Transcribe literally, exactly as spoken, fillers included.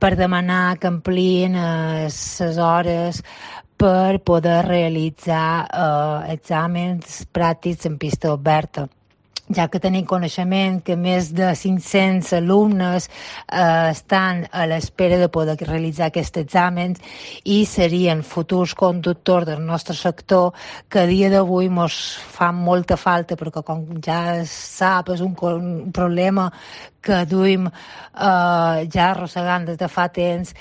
per demanar que ampliïn les hores per poder realitzar eh, exàmens pràctics en pista oberta, ja que tenim coneixement que més de cinc-cents alumnes eh, estan a l'espera de poder realitzar aquests exàmens i serien futurs conductors del nostre sector que a dia d'avui ens fan molta falta, perquè com ja es sap és un, un problema que duim eh, ja arrossegant des de fa temps,